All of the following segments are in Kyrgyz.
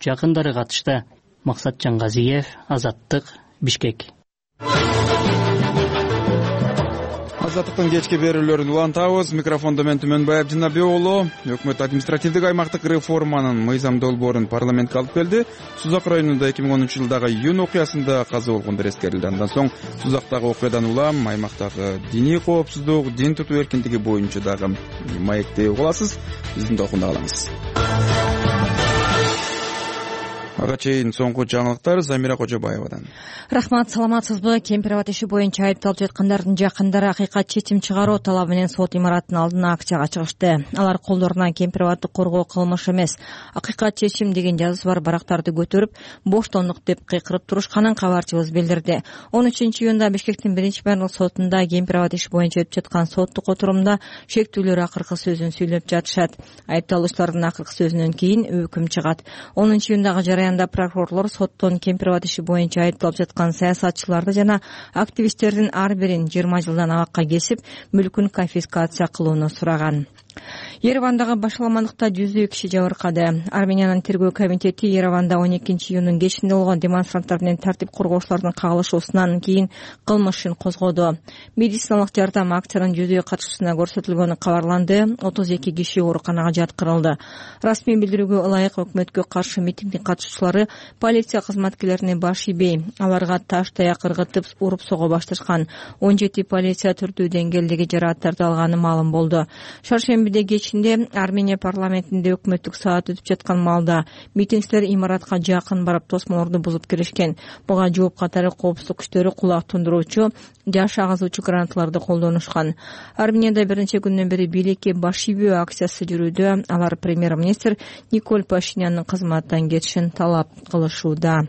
жакындары катышты. Максат Жангазиев, Азаттык, Бишкек. Азаттыктын кечки берүүлөрүн улантабыз. Микрофондо мен Түмөнбаев Жанабек уулу. Өкмөт административдик аймактык реформанын мыйзам долбоорун парламентке алып келди. Сузак районунда 2010-жылдагы июнь окуясында каза болгондор эскерилди. Андан соң Сузактагы окуядан улам аймактагы диний коопсуздук, дин тутуу эркиндиги боюнча дагы маекти угуласыз. Биздин докунда калыңыз. Ага чейин соңку жаңылыктар Замира Кожобаевадан. Рахмат, саламатсызбы? Кемпир абад иши боюнча айыпталып жаткандардын жакындары акыйкат чечим чыгаруу талабы менен сот имараттын алдына акцияга чыгышты. Алар колдоруна кемпир абадты коргоо кылмыш эмес, акыйкат чечим деген жазуусу бар барактарды көтөрүп, боштондук деп кыйкырып турушканын кабарчыбыз билдирди. 13-июнда Бишкектин 1-барлык сотунда кемпир абад иши боюнча өтүп жаткан соттук отурумда шектүүлөр акыркы сөзүн сүйлөп жатышат. Айыпталуучулардын акыркы сөзүнөн кийин өкүм чыгат. 10-июндагы жараянда прокурорлор соттон кемпир абад иши боюнча айыпталып жаткан саясатчыларды жана активисттердин ар бирин 20 жылдан абакка кесип, мүлкүн конфискация кылууну сураган. Еревандагы башаламандыкта 100 киши жабыркады. Армениянын тергөө комитети Ереванда 12-июндун кечинде болгон демонстранттар менен тартип коргоочулардын кагылышуусунан кийин кылмыш ишин козгоду. Медициналык жардам акциянын 100 катышуусуна көрсөтүлгөнү кабарланды. 32 киши ооруканага жаткырылды. Расмий билдирүүгө ылайык өкмөткө каршы митингдин катышуучулары полиция кызматкерлерине баш ийбей, аларга таш таяк ыргытып, уруп сого башташкан. 17 полиция түрдүү деңгээлдеги жарааттарды алганы маалым болду. Шаршембиде кечинде Армения парламентинде өкмөттүк саат өтүп жаткан маалда митингчилер имаратка жакын барып тосмолорду бузуп киришкен. Буга жооп катары коопсуздук күчтөрү кулак тундуруучу, жаш агызуучу гранаталарды колдонушкан. Арменияда биринчи күндөн бери бийликке баш ийбөө акциясы жүрүүдө. Алар премьер-министр Николь Пашиняндын кызматтан кетишин талап кылышууда.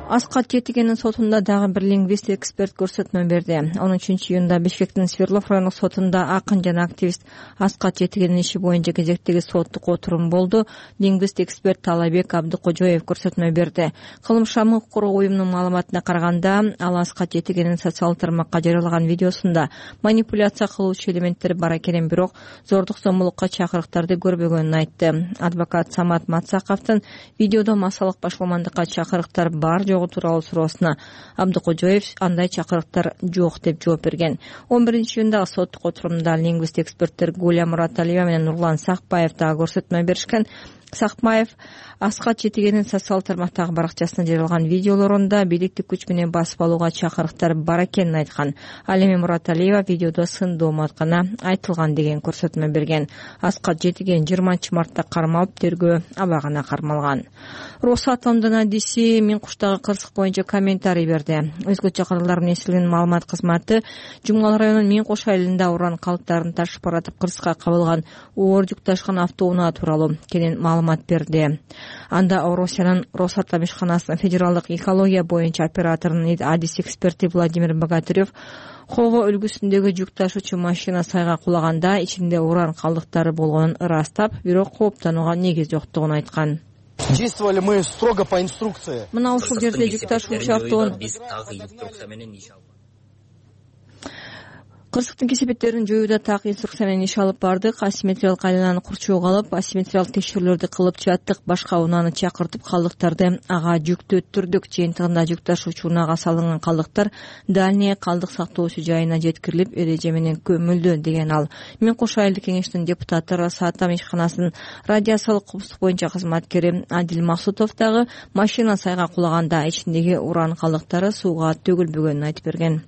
Аскат Жетигенин сотунда дагы бир лингвист эксперт көрсөтмө берди. 13-июнда Бишкектин Свердлов райондук сотунда акын жана активист Аскат Жетигенин иши боюнча кезектеги соттук отурум болду. Лингвист эксперт Талабек Абдыкожоев көрсөтмө берди. Кылмыш укук коргоо уюмунун маалыматына караганда, ал Аскат Жетигенин социалдык тармакка жарыялаган видеосунда манипуляция кылуучу элементтер бар экенин, бирок зордук зомбулукка чакырыктарды көрбөгөнүн айтты. Адвокат Самат Мацаковдун видеодо массалык башаламандыкка чакырыктар бар жок тууралуу суроосуна Абдыкожоев андай чакырыктар жок деп жооп берген. 11-июндагы соттук отурумда лингвист эксперттер Гуля Мураталиева менен Нурлан Сакбаев дагы көрсөтмө беришкен. Сакбаев Аскат Жетигенин социалдык тармактагы баракчасына жарыялган видеолорунда бийликтик күч менен басып алууга чакырыктар бар экенин айткан. Ал эми Мураталиева видеодо сындоо атканы айтылган деген көрсөтмө берген. Аскат Жетиген 20-мартта кармалып, тергөө абагына кармалган. Росатомдун адиси Миңкуштагы кырсык боюнча комментарий берди. Өзгөчө кыргыздар менен иштелген маалымат кызматы Жумгал районунун Миңкуш айылында уран калдыктарын ташып баратып кырсыкка кабылган оор жүк ташкан автоунаа тууралуу кенен маалымат берди. Анда Орусиянын Росатом ишканасынын федералдык экология боюнча операторунун адис эксперти Владимир Богатырев Хого өлкөсүндөгү жүк ташуучу машина сайга кулаганда ичинде уран калдыктары болгонун ырастап, бирок кооптонууга негиз жоктугун айткан. Действовали мы строго по инструкции. Мына ушул жерде жүк ташуучу автоунаа кырсыктын кесепеттерин жоюуда так инструкция менен иш алып бардык. Асимметриялык айлананы курчууга алып, асимметриялык текшерүүлөрдү кылып жаттык. Башка унааны чакыртып, калдыктарды ага жүктөттүрдүк. Жыйынтыгында жүк ташуучу унаага салынган калдыктар дальний калдык сактоочу жайына жеткирилип, эреже менен көмүлдү, деген ал. Миңкуш айылдык кеңештин депутаты Росатом ишканасынын радиациялык коопсуздук боюнча кызматкери Адил Максутов дагы машина сайга кулаганда ичиндеги уран калдыктары сууга төгүлбөгөнүн айтып берген.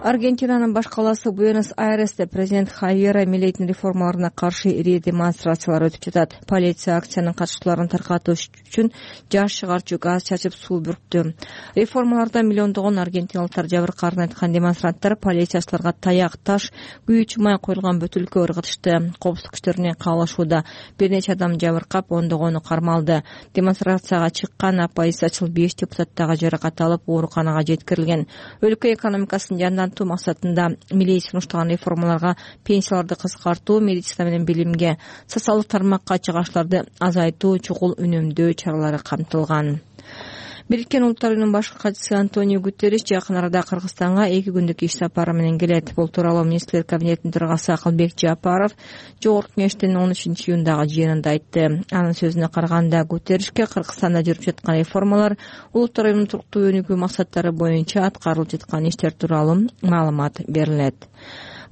Аргентинанын баш калаасы Буэнос-Айресте президент Хавьер Милейдин реформаларына каршы ири демонстрациялар өтүп жатат. Полиция акциянын катышчыларын таркатуу үчүн жаш чыгарчу газ чачып суу бүрктү. Реформаларда миллиондогон аргентиналыктар жабыркаарын айткан демонстранттар полициячыларга таяк, таш, күйүүчү май коюлган бөтөлкө ыргытышты. Коопсуздук күчтөрү менен каалашууда бир нече адам жабыркап, ондогону кармалды. Демонстрацияга чыккан оппозициячыл 5 депутат дагы жаракат алып, ооруканага жеткирилген. Өлкө экономикасын жандантуу максатында Милей сунуштаган реформаларга пенсияларды кыскартуу, медицина менен билимге, социалдык тармакка чыгыштарды азайтуу, чукул үнөмдөө чаралары камтылган. Бириккен Улуттар Уюмунун башкы катчысы Антонио Гутерриш жакын арада Кыргызстанга 2 күндүк иш сапары менен келет. Бул тууралуу министрлер кабинетинин төрагасы Акылбек Жапаров Жогорку Кеңештин 13 июндагы жыйынында айтты. Анын сөзүнө караганда, Гутерришке Кыргызстанда жүрүп жаткан реформалар, Улуттар Уюмунун туруктуу өнүгүү максаттары боюнча аткарылып жаткан иштер тууралуу маалымат берилет.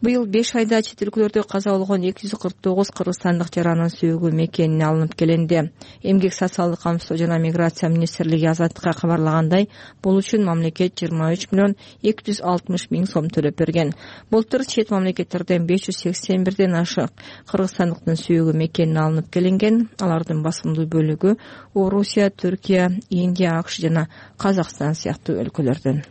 Быйыл 5 айда чет өлкөлөрдө каза болгон 249 кыргызстандык жаранын сөөгү мекенине алынып келинди. Эмгек социалдык камсыздоо жана миграция министрлиги Азаттыкка кабарлагандай, бул үчүн мамлекет 23 миллион 260 миң сом төлөп берген. Былтыр чет мамлекеттерден 581ден ашык кыргызстандыктын сөөгү мекенине алынып келинген. Алардын басымдуу бөлүгү Орусия, Түркия, Индия, АКШ жана Казакстан сыяктуу өлкөлөрдөн.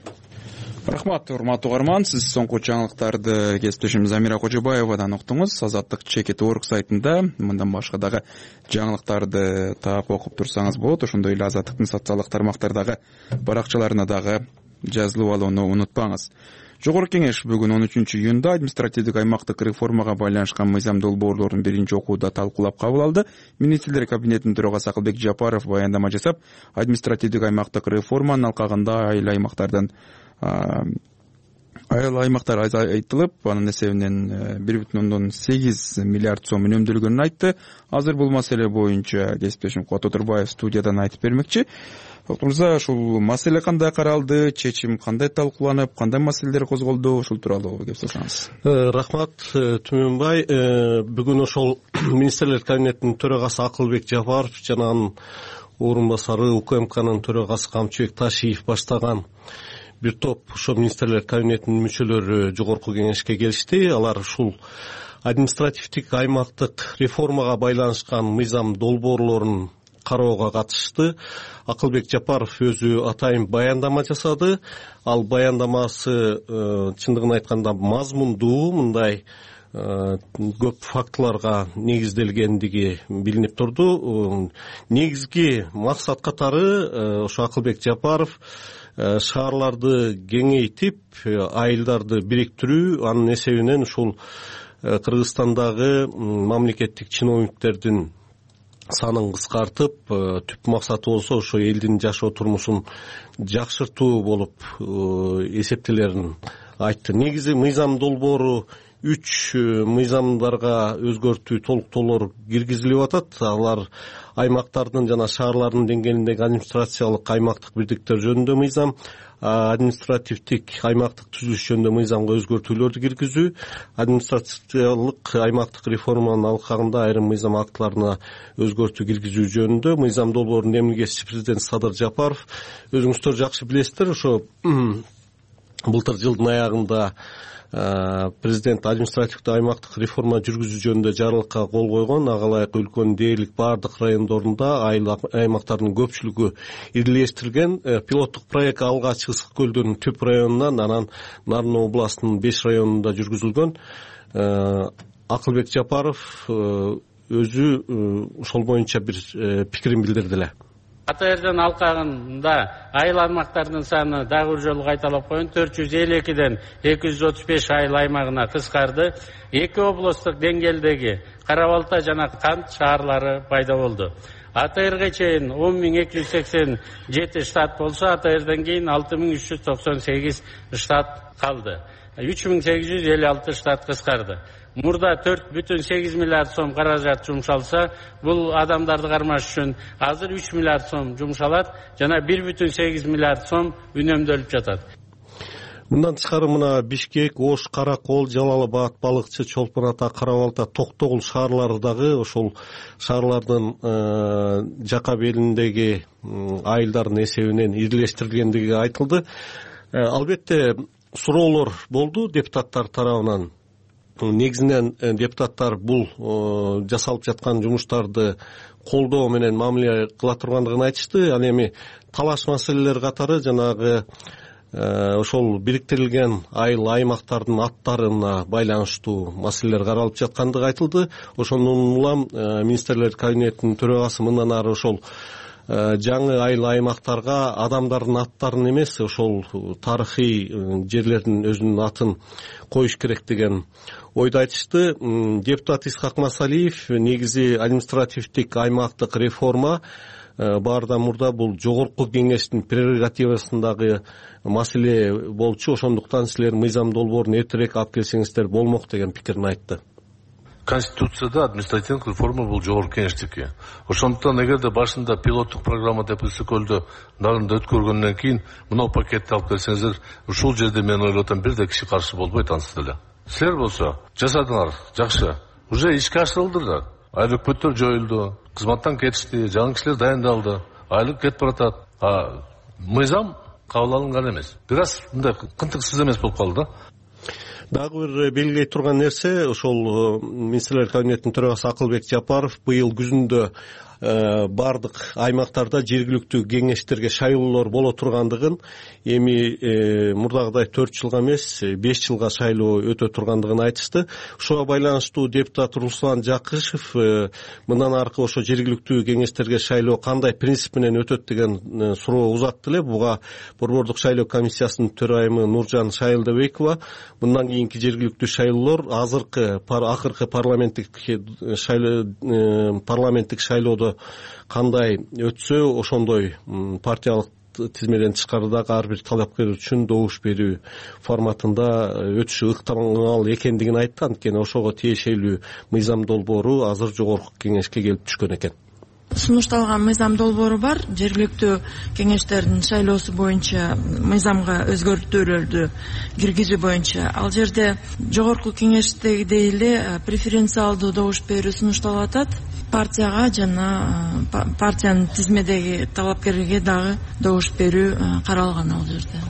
Рахмат, урматтуу угарман. Сиз соңку жаңылыктарды кесиптешим Замира Кожобаевадан уктуңуз. Азаттык Чекит.org сайтында мындан башка дагы жаңылыктарды таап окуп турсаңыз болот. Ошондой эле Азаттыктын социалдык тармактардагы баракчаларына дагы жазылып алууну унутпаңыз. Жогорку Кеңеш бүгүн 13 июнда административдик аймактык реформага байланышкан мыйзам долбоорлорун биринчи окууда талкуулап кабыл алды. Министрлер кабинетинин төрагасы Акылбек Жапаров баяндама жасап, административдик аймактык реформанын алкагында айыл аймактар айтылып, анын эсебинен 1,8 миллиард сом үнөмдөлгөнүн айтты. Азыр бул маселе боюнча кесиптешим Кубат Отурбаев студиядан айтып бермекчи. Мырза, ушул маселе кандай каралды, чечим кандай талкууланып, кандай маселелер козголду, ушул тууралуу кеп салсаңыз. Рахмат, Түмөнбай. Бүгүн ошол министрлер кабинетинин төрагасы Акылбек Жапаров жана анын орун басары УКМКнын төрагасы Камчыбек Ташиев баштаган бир топ ошо министрлер кабинетинин мүчөлөрү Жогорку Кеңешке келишти. Алар ушул административдик аймактык реформага байланышкан мыйзам долбоорлорун кароого катышты. Акылбек Жапаров өзү атайын баяндама жасады. Ал баяндамасы чындыгын айтканда мазмундуу, мындай көп фактыларга негизделгендиги билинип турду. Негизги максат катары ошо Акылбек Жапаров шаарларды кеңейтип, айылдарды бириктирүү, анын эсебинен ушул Кыргызстандагы мамлекеттик чиновниктердин санын кыскартып, түп максаты болсо ошо элдин жашоо турмушун жакшыртуу болуп эсептелерин айтты. Негизи мыйзам долбоору 3 мыйзамдарга өзгөртүү, толуктоолор киргизилип атат. Алар аймактардын жана шаарлардын деңгээлиндеги администрациялык аймактык бирдиктер жөнүндө мыйзам, административдик аймактык түзүлүш жөнүндө мыйзамга өзгөртүүлөрдү киргизүү, администрациялык аймактык реформанын алкагында айрым мыйзам актыларына өзгөртүү киргизүү жөнүндө мыйзам долбоорунун эмилгечиси президент Садыр Жапаров. Өзүңүздөр жакшы билесиздер, ошо былтыр жылдын аягында президент административдик аймактык реформа жүргүзүү жөнүндө жарлыкка кол койгон. Ага ылайык өлкөнүн дээрлик баардык райондорунда айыл аймактардын көпчүлүгү ирилештирилген. Пилоттук проект алгач Ысык көлдүнүн түп районунан, анан Нарын областынын 5 районунда жүргүзүлгөн. Акылбек Жапаров өзү ошол боюнча бир пикирин билдирди эле. Атайырдын алкагында айыл аймактардын саны дагы бир жолу кайталап коеюн, 452ден 235 айыл аймагына кыскарды. 2 областтык деңгээлдеги Кара Балта жана Кант шаарлары пайда болду. Атайырга чейин 10.287 штат болсо, Атайырдан кийин 6.398 штат калды. 3.856 штат кыскарды. Мурда 4,8 миллиард сом каражат жумшалса, бул адамдарды кармаш үчүн азыр 3 миллиард сом жумшалат жана 1,8 миллиард сом үнөмдөлүп жатат. Мындан тышкары мына Бишкек, Ош, Каракол, Жалал Абад, Балыкчы, Чолпон Ата, Кара Балта, Токтогул шаарлары дагы ошол шаарлардын жака белиндеги айылдардын эсебинен ирилештирилгендиги айтылды. Албетте суроолор болду депутаттар тарабынан. Негизинен депутаттар бул жасалып жаткан жумуштарды колдоо менен мамиле кыла тургандыгын айтышты. Ал эми талаш маселелер катары жанагы ошол бириктирилген айыл аймактардын аттарына байланыштуу маселелер каралып жаткандыгы айтылды. Ошондон улам министрлер кабинетинин төрагасы мындан ары ошол жаңы айыл аймактарга адамдардын аттарын эмес, ошол тарыхый жерлердин өзүнүн атын коюш керек деген ойду айтышты. Депутат Исхак Масалиев негизи административдик аймактык реформа баардан мурда бул жогорку кеңештин прерогативасындагы маселе болчу, ошондуктан силер мыйзам долбоорун эртерээк алып келсеңиздер болмок деген пикирин айтты. Конституцияда административдик реформа бул жогорку кеңештики. Ошондуктан эгерде башында пилоттук программа деп СКЛдө дагында өткөргөндөн кийин мына пакетти алып келсеңиздер, ушул жерде мен ойлоп атам бир да киши каршы болбойт ансыз деле. Силер болсо жасадыңар, жакшы. Уже ишке ашырылдылар. Айлык өкмөттөр жоюлду, кызматтан кетишти, жаңы кишилер дайындалды, айлык кетип баратат. Мыйзам кабыл алынган эмес. Бир аз мындай кынтыксыз эмес болуп калды да. Дагы бир белгилей турган нерсе, ошол министрлер кабинетинин төрагасы Акылбек Жапаров быйыл күзүндө бардык аймактарда жергиликтүү кеңештерге шайлоолор боло тургандыгын, эми мурдагыдай 4 жылга эмес 5 жылга шайлоо өтө тургандыгын айтышты. Ушуга байланыштуу депутат Руслан Жакышев мындан аркы ошо жергиликтүү кеңештерге шайлоо кандай принцип менен өтөт деген суроо узатты эле. Буга Борбордук шайлоо комиссиясынын төрайымы Нуржан Шайылдабекова мындан кийинки жергиликтүү шайлоолор акыркы парламенттик шайлоодо кандай өтсө ошондой партиялык тизмеден тышкары дагы ар бир талапкер үчүн добуш берүү форматында өтүшү ыктымал экендигин айтты. Анткени ошого тиешелүү мыйзам долбоору азыр жогорку кеңешке келип түшкөн экен. Сунушталган мыйзам долбоору бар. Жергиликтүү кеңештердин шайлоосу боюнча мыйзамга өзгөртүүлөрдү киргизүү боюнча. Ал жерде жогорку кеңештегидей эле преференциалдуу добуш берүү сунушталып атат. Партияга жана партиянын тизмедеги талапкерге дагы добуш берүү каралган ал жерде.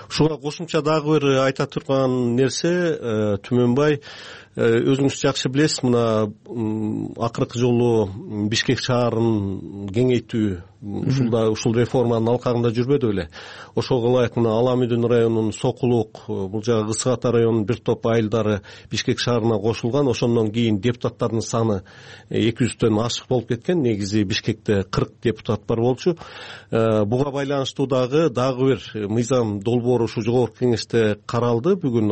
Ушуга кошумча дагы бир айта турган нерсе, Түмөнбай, өзүңүз жакшы билесиз, мына акыркы жолу Бишкек шаарын кеңейтүү ушул реформанын алкагында жүрбөдү беле. Ошого ылайык мына Аламүдүн районунун Сокулук, бул жагы Ысык Ата районунун бир топ айылдары Бишкек шаарына кошулган. Ошондон кийин депутаттардын саны 200дөн ашык болуп кеткен. Негизи Бишкекте 40 депутат бар болчу. Буга байланыштуу дагы бир мыйзам долбоору ушу жогорку кеңеште каралды. Бүгүн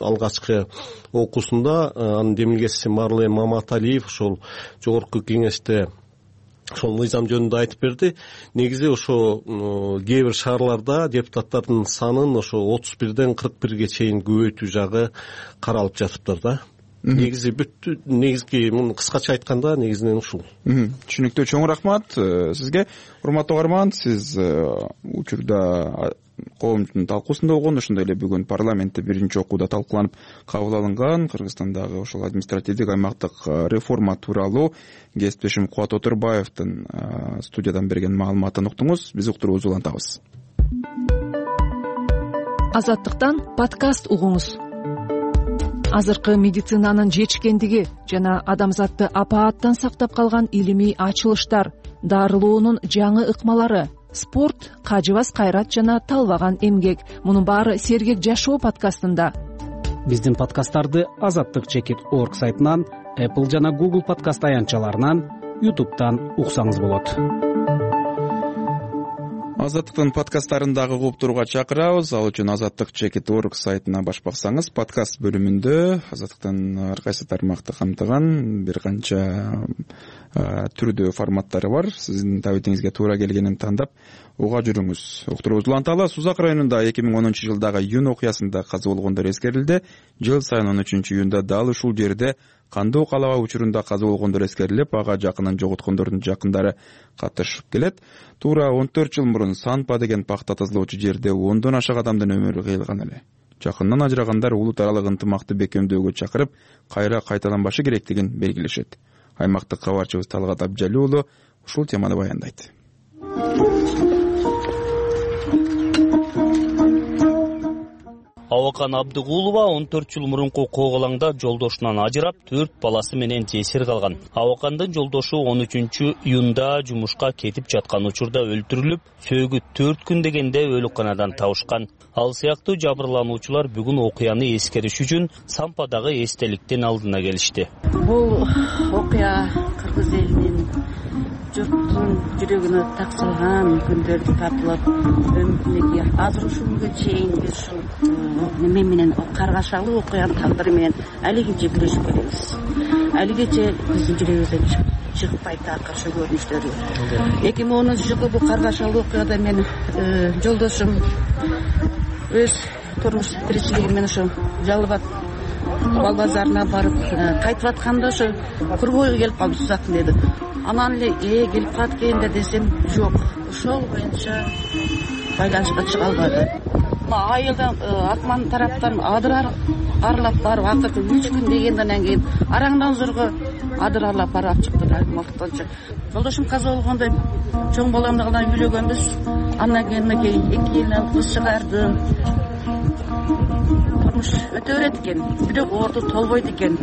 алгачкы окуусунда анын демилгеси Марлен Маматалиев ошол жогорку кеңеште ошол мыйзам жөнүндө айтып берди. Негизи ошо кээ бир шаарларда депутаттардын санын ошо 31ден 41ге чейин көбөйтүү жагы каралып жатыптыр да. Негизги муну кыскача айтканда негизинен ушул. Түшүнүктүү, чоң рахмат сизге. Урматтуу угарман, сиз учурда коомдун талкуусунда болгон, ошондой эле бүгүн парламентте биринчи окууда талкууланып кабыл алынган Кыргызстандагы ошол административдик аймактык реформа тууралуу кесиптешим Кубат Отурбаевдин студиядан берген маалыматын уктуңуз. Биз уктуруубузду улантабыз. Азаттыктан подкаст угуңуз. Азыркы медицинанын жетишкендиги жана адамзатты апааттан сактап калган илимий ачылыштар, дарылоонун жаңы ыкмалары, спорт, кажыбас кайрат жана талбаган эмгек. Мунун баары Сергек жашоо подкастында. Биздин подкасттарды azattik.org сайтынан, Apple жана Google подкаст аянтчаларынан, YouTube'дан уксаңыз болот. Азаттыктын подкасттарын дагы угуп турууга чакырабыз. Ал үчүн azattik.org сайтына баш баксаңыз, подкаст бөлүмүндө Азаттыктын ар кайсы тармакты камтыган бир канча түрдүү форматтары бар. Сиздин табитиңизге туура келгенин тандап уга жүрүңүз. Уктуруубузду уланталы. Сузак районунда 2010 жылдагы июнь окуясында каза болгондор эскерилди. Жыл сайын 13 июнда дал ушул жерде кандуу калаба учурунда каза болгондор эскерилип, ага жакынын жоготкондордун жакындары катышып келет. Туура 14 жыл мурун Санпа деген пахта тазалоочу жерде 10дон ашык адамдын өмүрү кыйылган эле. Жакындан ажырагандар улут аралык ынтымакты бекемдөөгө чакырып, кайра кайталанбашы керектигин белгилешет. Аймактык кабарчыбыз Талгат Абжали уулу ушул теманы баяндайт. Абакан Абдыгулова 14 жыл мурунку коголаңда жолдошунан ажырап, 4 баласы менен жесир калган. Абакандын жолдошу 13 июнда жумушка кетип жаткан учурда өлтүрүлүп, сөөгү 4 күн дегенде өлүкканадан табышкан. Ал сыяктуу жабырлануучулар бүгүн окуяны эскериш үчүн Сампадагы эстеликтин алдына келишти. Бул окуя кыргыз элинин журттун жүрөгүнө так салган күндөрдү тартылып, өмүрүндөгү азыр ушул күнгө чейин биз ушул неме менен каргашалуу окуянын тагдыры менен алигинче күрөшүп келебиз. Алигече биздин жүрөгүбүздөн чыкпайт акыркы көрүнүштөрү. 2010-жылы бул каргашалуу окуяда мен жолдошум өз турмуш тиричилиги менен ошо Жалал Абад бал базарына барып кайтып атканда ошо Кургойго келип калды Сузактын деди. Анан эле келип калат экен да десем жок. Ошол боюнча байланышка чыга албады. Айылдан Акман тараптан адыр аралап барып акыркы 3 күн дегенден кийин араңдан зорго адыр аралап барып чыктык мактанча. Жолдошум каза болгондо чоң баламды гана үйлөгөнбүз. Андан кийин 2 жылдан кыз чыгарды. Турмуш өтө берет экен, бирок орду толбойт экен.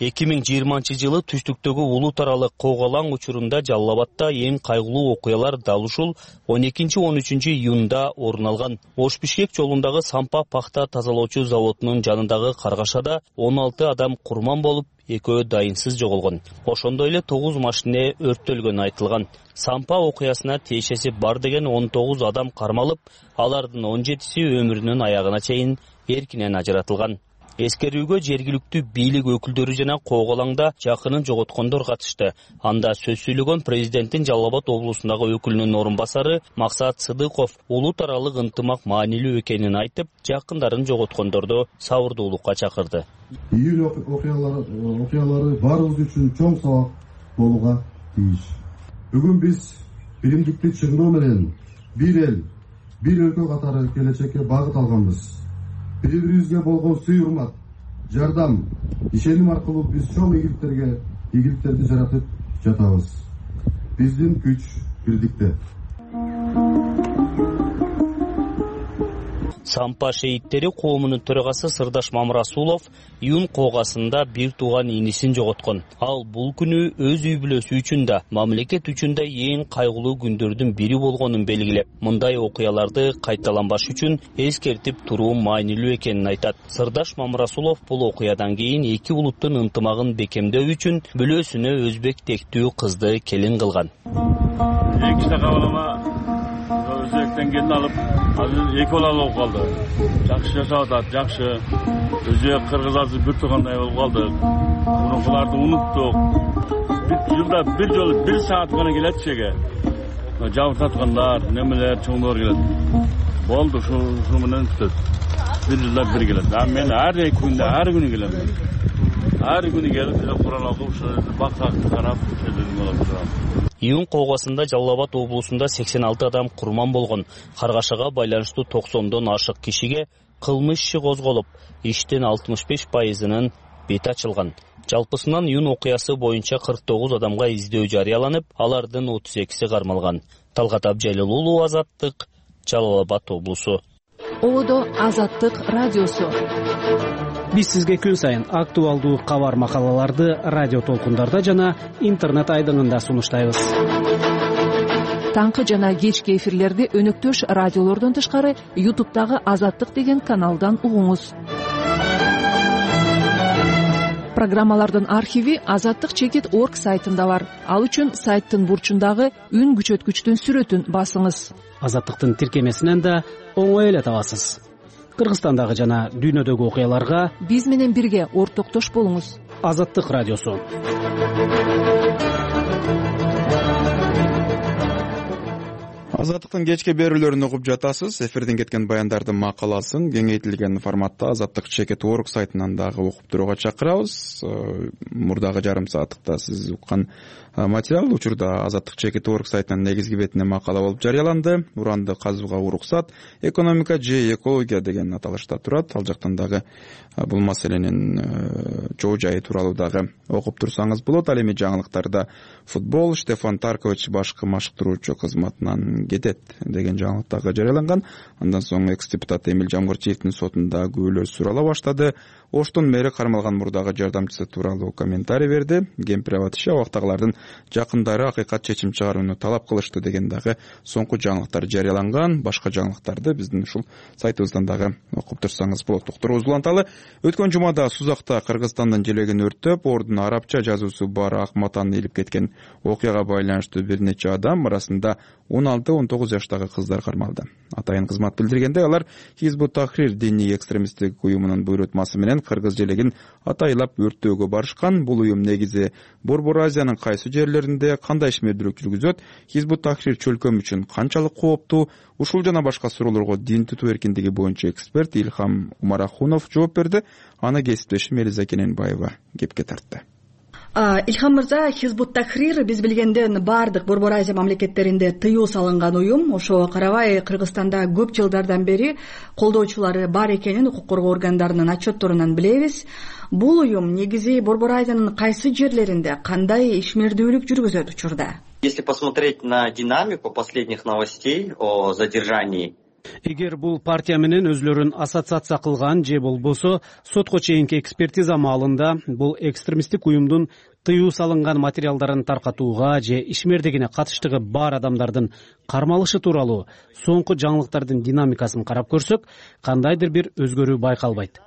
2020-жылы түштүктөгү улут аралык Коголаң учурунда Жалал Абадда эң кайгылуу окуялар дал ушул 12-13 июнда орун алган. Ош-Бишкек жолундагы Сампа пахта тазалоочу заводунун жанындагы каргашада 16 адам курман болуп, экөө дайынсыз жоголгон. Ошондой эле 9 машине өрттөлгөнү айтылган. Сампа окуясына тиешеси бар деген 19 адам кармалып, алардын 17си өмүрүнүн аягына чейин эркинен ажыратылган. Эскерүүгө жергиликтүү бийлик өкүлдөрү жана Коголаңда жакынын жоготкондор катышты. Анда сөз сүйлөгөн президенттин Жалал Абад облусундагы өкүлүнүн орун басары Максат Сыдыков улут аралык ынтымак маанилүү экенин айтып, жакындарын жоготкондорду сабырдуулукка чакырды. Июль окуялары баарыбыз үчүн чоң сабак болууга тийиш. Бүгүн биз биримдикти чыңдоо менен бир эл, бир өлкө катары келечекке багыт алганбыз. Бири-бирибизге болгон сый-урмат, жардам, ишеним аркылуу биз чоң ийгиликтерди жаратып жатабыз. Биздин күч бирдикте. Сампа шейиттери коомунун төрагасы Сырдаш Мамрасулов июнь коогасында бир тууган инисин жоготкон. Ал бул күнү өз үй бүлөсү үчүн да, мамлекет үчүн да эң кайгылуу күндөрдүн бири болгонун белгилеп, мындай окуяларды кайталанбаш үчүн эскертип туруу маанилүү экенин айтат. Сырдаш Мамрасулов бул окуядан кийин эки улуттун ынтымагын бекемдөө үчүн бүлөсүнө өзбек тектүү кызды келин кылган. Өзбектен келин алып, азыр эки бала болуп калды. Жакшы жашап атат, жакшы. Өзбек кыргыз азыр бир туугандай болуп калды. Мурункуларды унуттук. Жылда бир жолу 1 саат гана келет чеге. Жабыртаткандар, немелер, чоңдор келет. Болду, ушу менен бүтөт. Бир жылда бир келет. Мен ар күнү келем. Ар күнү келип, Куран окуп, бактакты карап, Июнь коогасында Жалал Абад облусунда 86 адам курман болгон. Каргашага байланыштуу 90дон ашык кишиге кылмыш иши козголуп, иштин 65%-нын бети ачылган. Жалпысынан июнь окуясы боюнча 49 адамга издөө жарыяланып, алардын 32си кармалган. Талгат Абжалил уулу, Азаттык, Жалал Абад облусу. Одо Азаттык радиосу. Биз сизге күн сайын актуалдуу кабар макалаларды радио толкундарда жана интернет айдыңында сунуштайбыз. Таңкы жана кечки эфирлерди өнөктөш радиолордон тышкары YouTube'дагы Азаттык деген каналдан угуңуз. Программалардын архиви azattik.org сайтында бар. Ал үчүн сайттын бурчундагы үн күчөткүчтүн сүрөтүн басыңыз. Азаттыктын тиркемесинен да оңой эле табасыз. Кыргызстандагы жана дүйнөдөгү окуяларга биз менен бирге ортоктош болуңуз. Азаттык радиосу. Азаттыктын кечки берүүлөрүн угуп жатасыз. Эфирден кеткен баяндардын макаласын кеңейтилген форматта azattik.org сайтынан дагы окуп турууга чакырабыз. Мурдагы жарым сааттыкта сиз уккан материал учурда azattik.org сайтынын негизги бетине макала болуп жарыяланды. Уранды казууга уруксат, экономика же экология деген аталышта турат. Ал жактан дагы бул маселенин чоо жайы тууралуу дагы окуп турсаңыз болот. Ал эми жаңылыктарда футбол Штефан Таркович башкы машыктыруучу кызматынан кетет деген жаңылык дагы жарыяланган. Андан соң экс-депутат Эмил Жамгырчиевдин сотунда күбөлөр сурала баштады. Оштун мэри кармалган мурдагы жардамчысы тууралуу комментарий берди. Кемпир Абад абактагылардын жакындары акыйкат чечим чыгарууну талап кылышты деген дагы соңку жаңылыктар жарыяланган. Башка жаңылыктарды биздин ушул сайтыбыздан дагы окуп турсаңыз болот. Доктор Узуланталы өткөн жумада Сузакта Кыргызстандын желегин өрттөп, ордун арабча жазуусу бар ак матаны илип кеткен окуяга байланыштуу бир нече адам, арасында 16-19 жаштагы кыздар кармалды. Атайын кызмат билдиргенде, алар Хизбут Тахрир диний экстремисттик уюмунун буйрутмасы менен Кыргыз желегин атайлап өрттөөгө барышкан. Бул уюм негизи Борбор Азиянын кайсы жерлеринде кандай ишмердүүлүк жүргүзөт, Хизбут Тахрир чөлкөм үчүн канчалык кооптуу? Ушул жана башка суроолорго дин тутуу эркиндиги боюнча эксперт Илхам Умарахунов жооп берди. Аны кесиптешим Элиза Кененбаева кепке тартты. Илхам мырза, Хизбут Тахрир биз билгенден баардык Борбор Азия мамлекеттеринде тыюу салынган уюм. Ошого карабай Кыргызстанда көп жылдардан бери колдоочулары бар экенин укук коргоо органдарынын отчетторунан билебиз. Бул уюм негизи Борбор Азиянын кайсы жерлеринде кандай ишмердүүлүк жүргүзөт учурда? Если посмотреть на динамику последних новостей о задержании, эгер бул партия менен өзлөрүн ассоциация кылган же болбосо сотко чейинки экспертиза маалында бул экстремисттик уюмдун тыюу салынган материалдарын таркатууга же ишмердигине катыштыгы бар адамдардын кармалышы тууралуу соңку жаңылыктардын динамикасын карап көрсөк, кандайдыр бир өзгөрүү байкалбайт.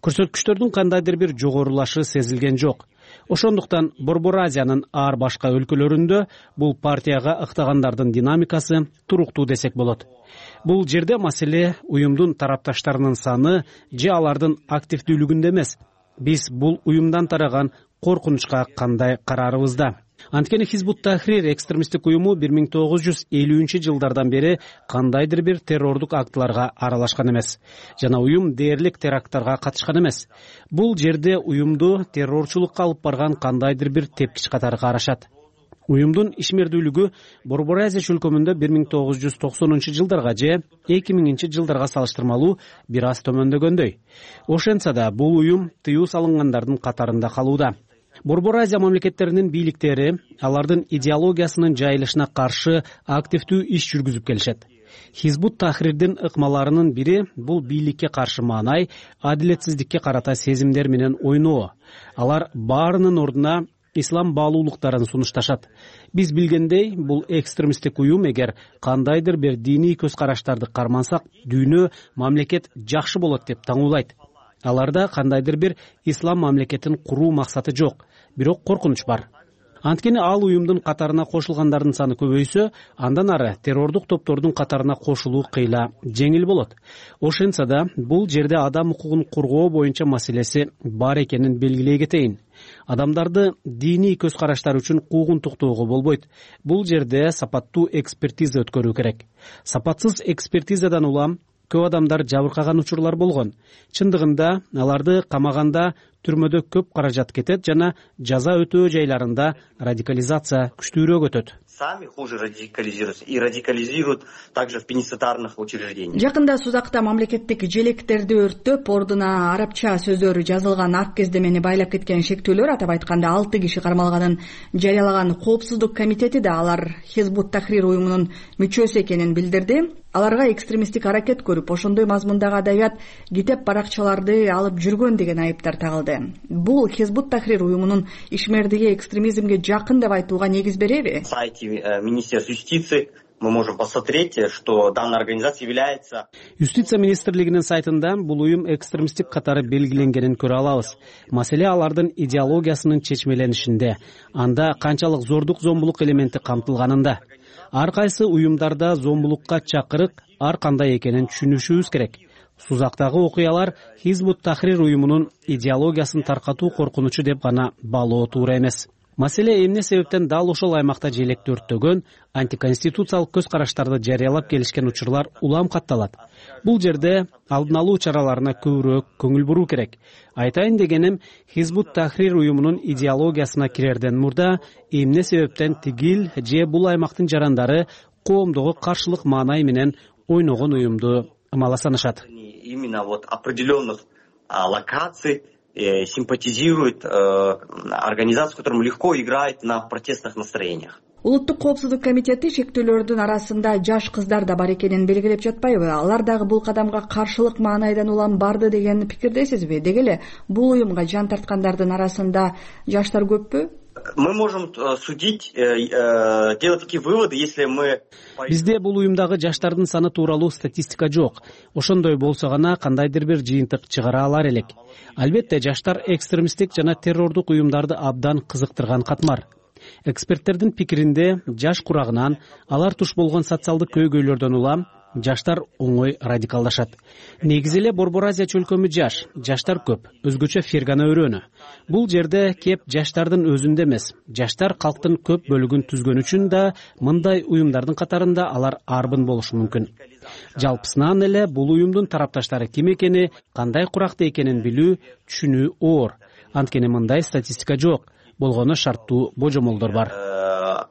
Көрсөткүчтөрдүн кандайдыр бир жогорулашы сезилген жок. Ошондуктан Борбор Азиянын ар башка өлкөлөрүндө бул партияга ыктагандардын динамикасы туруктуу десек болот. Бул жерде маселе уюмдун тарапташтарынын саны же алардын активдүүлүгүндө эмес. Биз бул уюмдан тараган коркунучка кандай карарыбызда. Анткени Хизбут Тахрир экстремисттик уюму 1950-жылдардан бери кандайдыр бир террордук актыларга аралашкан эмес жана уюм дээрлик теракттарга катышкан эмес. Бул жерде уюмду террорчулукка алып барган кандайдыр бир тепкич катары карашат. Уюмдун ишмердүүлүгү Борбор Азия чөлкөмүндө 1990-жылдарга же 2000-жылдарга салыштырмалуу бир аз төмөндөгөндөй. Ошентсе да бул уюм тыюу салынгандардын катарында калууда. Борбор Азия мамлекеттеринин бийликтери алардын идеологиясынын жайылышына каршы активдүү иш жүргүзүп келишет. Хизбут Тахрирдин ыкмаларынын бири бул бийликке каршы маанай, адилетсиздикке карата сезимдер менен ойноо. Алар баарынын ордуна ислам баалуулуктарын сунушташат. Биз билгендей, бул экстремисттик уюм эгер кандайдыр бир диний көз караштарды кармансак, дүйнө, мамлекет жакшы болот деп таңуулайт. Аларда кандайдыр бир ислам мамлекетин куруу максаты жок, бирок коркунуч бар. Анткени ал уюмдун катарына кошулгандардын саны көбөйсө, андан ары террордук топтордун катарына кошулуу кыйла жеңил болот. Ошентсе да бул жерде адам укугун коргоо боюнча маселеси бар экенин белгилей кетейин. Адамдарды диний көз караштар үчүн куугунтуктоого болбойт. Бул жерде сапаттуу экспертиза өткөрүү керек. Сапатсыз экспертизадан улам көп адамдар жабыркаган учурлар болгон. Чындыгында аларды камаганда түрмөдө көп каражат кетет жана жаза өтөө жайларында радикализация күчтүүрөөк өтөт. Сами хуже радикализируются и радикализируют также в пенитенциарных учреждениях. Жакында Сузакта мамлекеттик желектерди өрттөп, ордуна арабча сөздөр жазылган ак кездемени байлап кеткен шектүүлөр, атап айтканда 6 киши кармалганын жарыялаган Коопсуздук комитети да алар Хизбут Тахрир уюмунун мүчөсү экенин билдирди. Аларга экстремисттик аракет көрүп, ошондой мазмундагы адабият китеп баракчаларды алып жүргөн деген айыптар тагылды. Бул Хизбут Тахрир уюмунун ишмердиги экстремизмге жакын деп айтууга негиз береби? Министерства юстиции мы можем посмотреть, что данная организация является... Юстиция министрлигинин сайтында бул уюм экстремисттик катары белгиленгенин көрө алабыз. Маселе алардын идеологиясынын чечмеленишинде, анда канчалык зордук зомбулук элементи камтылганында. Ар кайсы уюмдарда зомбулукка чакырык ар кандай экенин түшүнүшүбүз керек. Сузактагы окуялар Хизбут Тахрир уюмунун идеологиясын таркатуу коркунучу деп гана баалоо туура эмес. Маселе эмне себептен дал ошол аймакта желекти өрттөгөн, антиконституциялык көз караштарды жарыялап келишкен учурлар улам катталат. Бул жерде алдын алуу чараларына көбүрөөк көңүл буруу керек. Айтайын дегеним, Хизбут Тахрир уюмунун идеологиясына кирерден мурда эмне себептен тигил же бул аймактын жарандары коомдогу каршылык маанай менен ойногон уюмду ымала санашат. Именно вот определенных локаций симпатизирует организацию, которая легко играет на протестных настроениях. Улуттук коопсуздук комитети шектүүлөрдүн арасында жаш кыздар да бар экенин белгилеп жатпайбы? Алар дагы бул кадамга каршылык маанайдан улам барды деген пикирдесизби? Деги эле бул уюмга жан тарткандардын арасында жаштар көппү? Мы можем судить, делать такие выводы, если мы... Бизде бул уюмдагы жаштардын саны тууралуу статистика жок. Ошондой болсо гана кандайдыр бир жыйынтык чыгара алар элек. Албетте жаштар экстремисттик жана террордук уюмдарды абдан кызыктырган катмар. Эксперттердин пикиринде жаш курагынан алар туш болгон социалдык көйгөйлөрдөн улам жаштар оңой радикалдашат. Негизи эле Борбор Азия чөлкөмү жаштар көп, өзгөчө Фергана өрөөнү. Бул жерде кеп жаштардын өзүндө эмес, жаштар калктын көп бөлүгүн түзгөн үчүн да мындай уюмдардын катарында алар арбын болушу мүмкүн. Жалпысынан эле бул уюмдун тарапташтары ким экени, кандай куракта экенин билүү, түшүнүү оор. Анткени мындай статистика жок, болгону шарттуу божомолдор бар.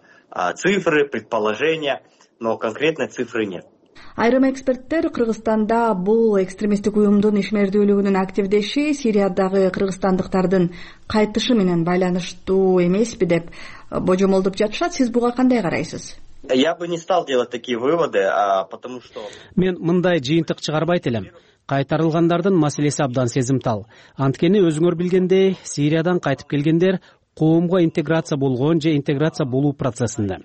Цифры, предположения, но конкретной цифры нет. Айрым эксперттер Кыргызстанда бул экстремисттик уюмдун ишмердүүлүгүнүн активдеши Сириядагы кыргызстандыктардын кайтышы менен байланыштуу эмеспи деп божомолдоп жатышат. Сиз буга кандай карайсыз? Я бы не стал делать такие выводы, потому что... Мен мындай жыйынтык чыгарбайт элем. Кайтарылгандардын маселеси абдан сезимтал. Анткени өзүңөр билгендей, Сириядан кайтып келгендер коомго интеграция болгон же интеграция болуу процессинде.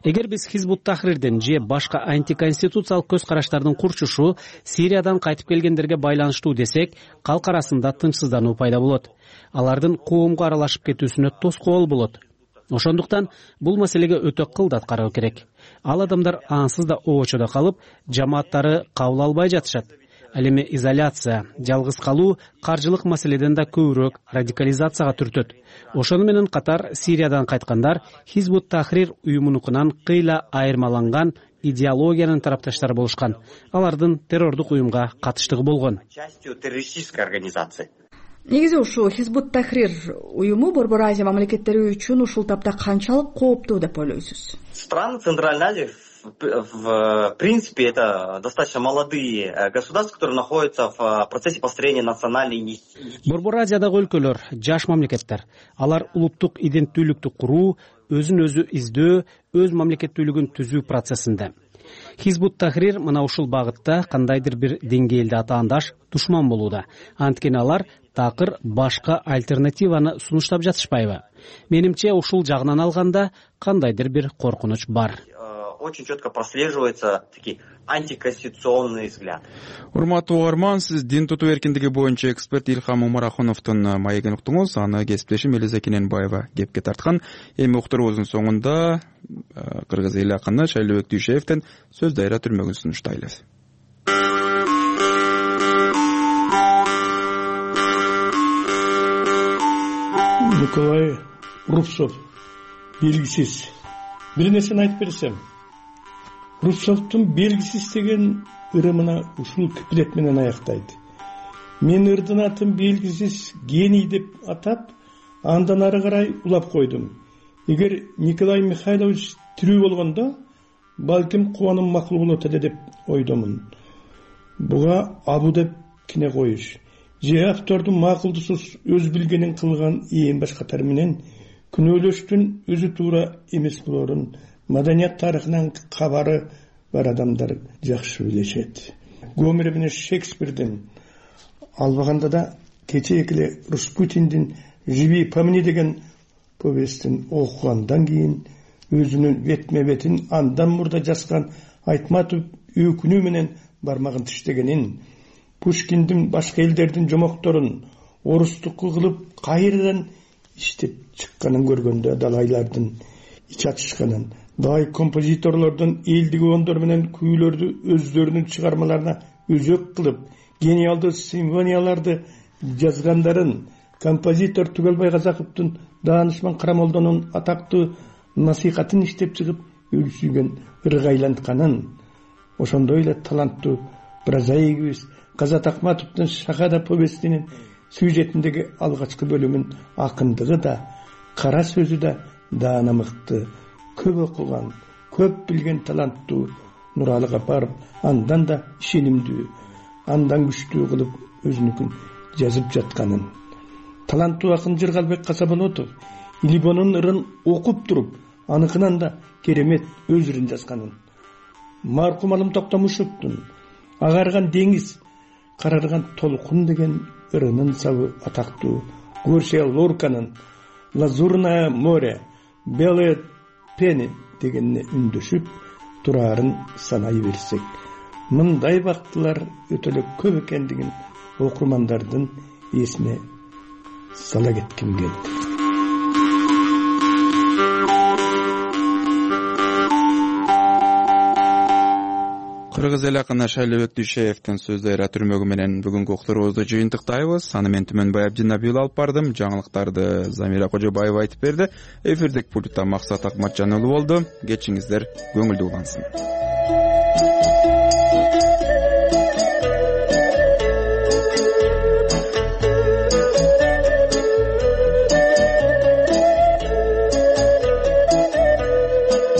Эгер биз Хизбут Тахрирдин же башка антиконституциялык көз караштардын курчушу Сириядан кайтып келгендерге байланыштуу десек, калк арасында тынчсыздануу пайда болот. Алардын коомго аралашып кетүүсүнө тоскоол болот. Ошондуктан бул маселеге өтө кылдат кароо керек. Ал адамдар ансыз да обочодо калып, жамааттары кабыл албай жатышат. Ал эми изоляция, жалгыз калуу каржылык маселеден да көбүрөөк радикализацияга түртөт. Ошону менен катар Сириядан кайткандар Хизбут Тахрир уюмунукунан кыйла айырмаланган идеологиянын тарапташтары болушкан. Алардын террордук уюмга катыштыгы болгон. Частью террористической организации. Негизи ушу Хизбут Тахрир уюму Борбор Азия мамлекеттери үчүн ушул тапта канчалык кооптуу деп ойлойсуз? Страны Центральной Азии в принципе это достаточно молодые государства, которые находятся в процессе построения национальной идентичности. Борбор Азиядагы өлкөлөр жаш мамлекеттер. Алар улуттук иденттүүлүктү куруу, өзүн өзү издөө, өз мамлекеттүүлүгүн түзүү процессинде. Хизбут Тахрир мына ушул багытта кандайдыр бир деңгээлде атаандаш душман болууда. Анткени алар такыр башка альтернативаны сунуштап жатышпайбы? Менимче ушул жагынан алганда кандайдыр бир коркунуч бар. Очень четко прослеживаются такие антиконституционные взгляды. Урматтуу угарман, сиз дин тутуу эркиндиги боюнча эксперт Илхам Умарахуновдун маегин уктуңуз. Аны кесиптешим Элиза Кененбаева кепке тарткан. Эми уктуруубуздун соңунда кыргыз эл акыны Шайлообек Дүйшеевден сөз дайра түрмөгүн сунуштайлы. Николай Рубцов белгисиз. Бир нерсени айтып берсем, Рубцовдун белгисиз деген ырымына ушул куплет менен аяктайт. Мен ырдын атын белгисиз гений деп атап, андан ары карай улап койдум. Эгер Николай Михайлович тирүү болгондо, балким кубаным макул болот эле деп ойдомун. Буга абу деп кине коюш, же автордун макулдусуз өз билгенин кылган ээн баш катары менен күнөөлөштүн өзү туура эмес болорун маданият тарыхынан кабары бар адамдар жакшы билишет. Гомер менен Шекспирдин, албаганда да кечээки эле Распутиндин «Живи по мне» деген повестин окугандан кийин өзүнүн бетме-бетин андан мурда жазган Айтматов өкүнүү менен бармагын тиштегенин, Пушкиндин башка элдердин жомокторун орустук кылып кайрадан иштеп чыкканын көргөндө далайлардын ич ачышканын, дагы композиторлордун элдик ондор менен күүлөрдү өздөрүнүн чыгармаларына өзөк кылып, гениалдуу симфонияларды жазгандарын, композитор Түгөлбай Казаковдун Даанышман Карамолдонун атактуу насихатын иштеп чыгып өлсүйгөн ыргайлантканын, ошондой эле таланттуу прозаигибиз Казат Акматовдун Шахада повестинин сюжетиндеги алгачкы бөлүмүн акындыгы да, кара сөзү да даана мыкты, көп окуган, көп билген таланттуу Нуралы Капаров андан да ишенимдүү, андан күчтүү кылып өзүнүкүн жазып жатканын, таланттуу акын Жыргалбек Касаболотов Либонун ырын окуп туруп, аныкынан да керемет өз ырын жазганын, маркум Алым Токтомушевдун Агарган деңиз, карарган толкун деген ырынын сабы атактуу Гарсия Лорканын Лазурное море, Белые пени дегенне үндөшүп турарын санай берсек, мындай бактылар өтө эле көп экендигин окурмандардын эсине сала кетким келди. Кыргыз эл акыны Шайлообек Дүйшеевдин сөздөрү түрмөгү менен бүгүнкү уктуруубузду жыйынтыктайбыз. Аны мен Түмөнбай Абдинабиул алып бардым. Жаңылыктарды Замира Кожобаева айтып берди. Эфирдик пультта Максат Акматжан уулу болду. Кечиңиздер көңүлдүү улансын.